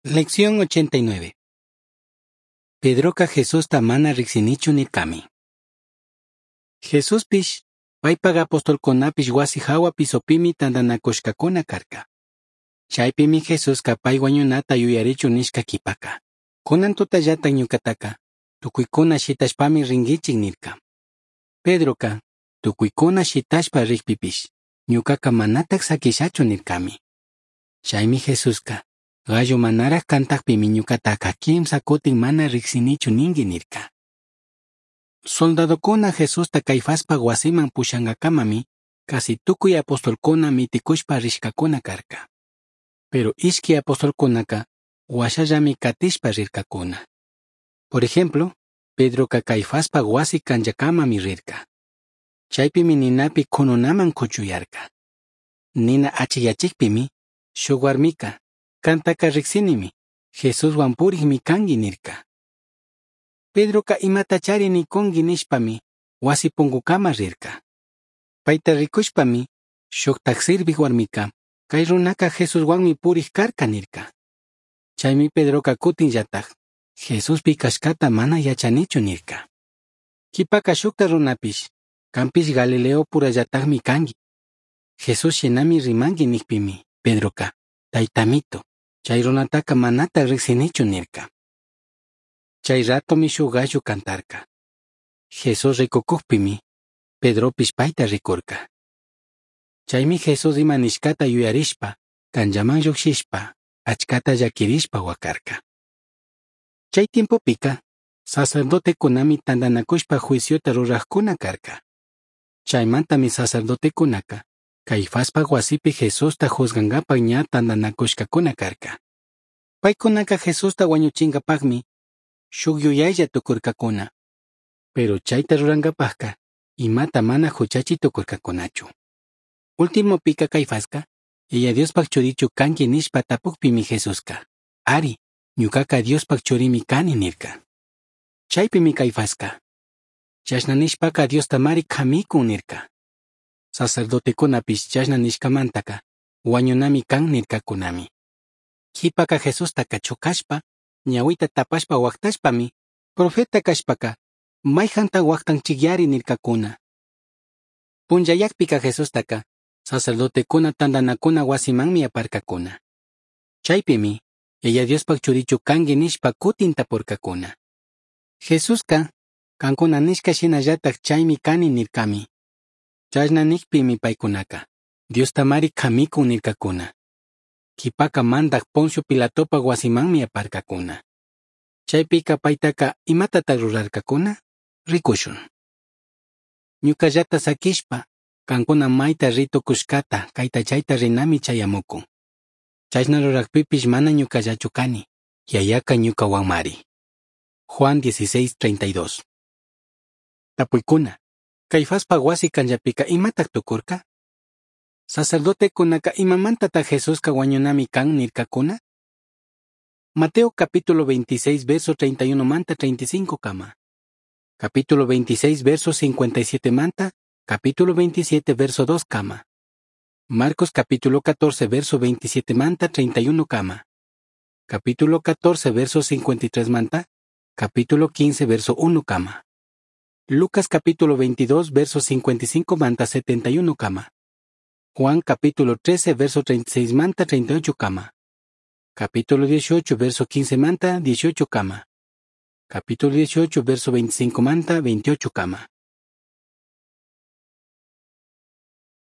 Lección 89. Pedroca Jesusta mana ricsinichu nircami. Jesuspish, paipaj apostolcunapish huasi jahua pisopimi tandanacushcacuna carca. Chaipimi Jesusca pai huañunata yuyarichun nishca quipaca. Cunan tutallata ñucataca, tucuicuna shitashpami ringuichij nirca. Pedroca, tucuicuna shitashpa rijpipish, ñucaca manataj saquishachu nircami. Chaimi Jesusca, gallo manaraj cantajpimi ñucataca quimsa cutin mana ricsinichu ningui nirca. Soldadocuna Jesusta Caifaspaj huasiman pushangacamami, casi tucui apostolcuna miticushpa rishcacuna carca. Pero ishqui apostolcunaca huashallami catishpa rircacuna. Por ejemplo, Pedroca Caifaspaj huasi canllacamami rirca. Chaipimi ninapi cununaman cuchuyarca. Nina achiyachijpimi, shuj huarmica, cantaca ricsinimi, Jesushuan purijmi cangui nirca. Pedroca imatachari nicungui nishpami, huasi pungucama rirca. Paita ricushpami, shujtaj sirvij huarmica, cai runaca Jesushuanmi purij carca nirca. Chaimi Pedroca cutinllataj, Jesús pi cashcata mana yachanichu nirca. Quipaca shujta runapish, canpish Galileo purallatajmi cangui. Jesús shinami rimangui nijpimi, Pedroca, taitamito, chai runataca manataj ricsinichu nirca. Chai ratomi shuj gallo cantarca. Jesús ricucujpimi, Pedropish paita ricurca. Chaimi Jesús ima nishcata yuyarishpa, canllaman llujshishpa, achcata llaquirishpa huacarca. Chai tiempopica, sacerdotecunami tandanacushpa juiciota rurajcuna carca. Chaimantami sacerdotecunaca, Caifaspaj huasipi Jesusta juzgangapaj ña tandanacushcacuna carca. Paicunaca Jesusta huañuchingapajmi, shuj yuyailla tucurcacuna. Pero chaita rurangapajca, imata mana juchachi tucurcacunachu. Ultimopica Caifasca, Yaya Diospaj churichu cangui nishpa tapujpimi Jesusca, ari, ñucaca Diospaj churimi cani nirca. Chaipimi Caifasca, chashna nishpaca Diostamari camicun nirca. Sacerdotecunapish chashna nishcamantaca, huañunami can nircacunami. Quipaca Jesustaca chucashpa, ñahuita tapashpa huactashpami, profeta cashpaca, maijanta huactanchicyari nircacuna. Punllayacpica Jesustaca, sacerdotecuna tandanacuna huasimanmi aparcacuna. Chaipimi, Yaya Diospaj churichu cangui nishpa cutin tapurcacuna. Jesusca, cancuna nishca shinallataj chaimi cani nircami. Chashna nijpimi paicunaca, Diostamari camicun nircacuna. Quipaca mandaj Poncio Pilatopaj huasimanmi aparcacuna. Chaipica paitaca imatataj rurarcacuna? Ricushun. Ñucallata saquishpa, cancuna maita ri tucushcata, caita chaita rinami chayamucun. Chashna rurajpipish mana ñucallachu cani, Yayaca ñucahuanmari. Juan 16:32. Tapuicuna, Caifaspaj huasi canllapica imataj tucurca? Sacerdotecunaca imamantataj Jesusca huañunami can nircacuna? Mateo capítulo 26 verso 31 manta 35 cama. Capítulo 26 verso 57 manta, capítulo 27 verso 2 cama. Marcos capítulo 14 verso 27 manta 31 cama. Capítulo 14 verso 53 manta, capítulo 15 verso 1 cama. Lucas capítulo 22 verso 55 manta 71 cama. Juan capítulo 13 verso 36 manta 38 cama. Capítulo 18 verso 15 manta 18 cama. Capítulo 18 verso 25 manta 28 cama.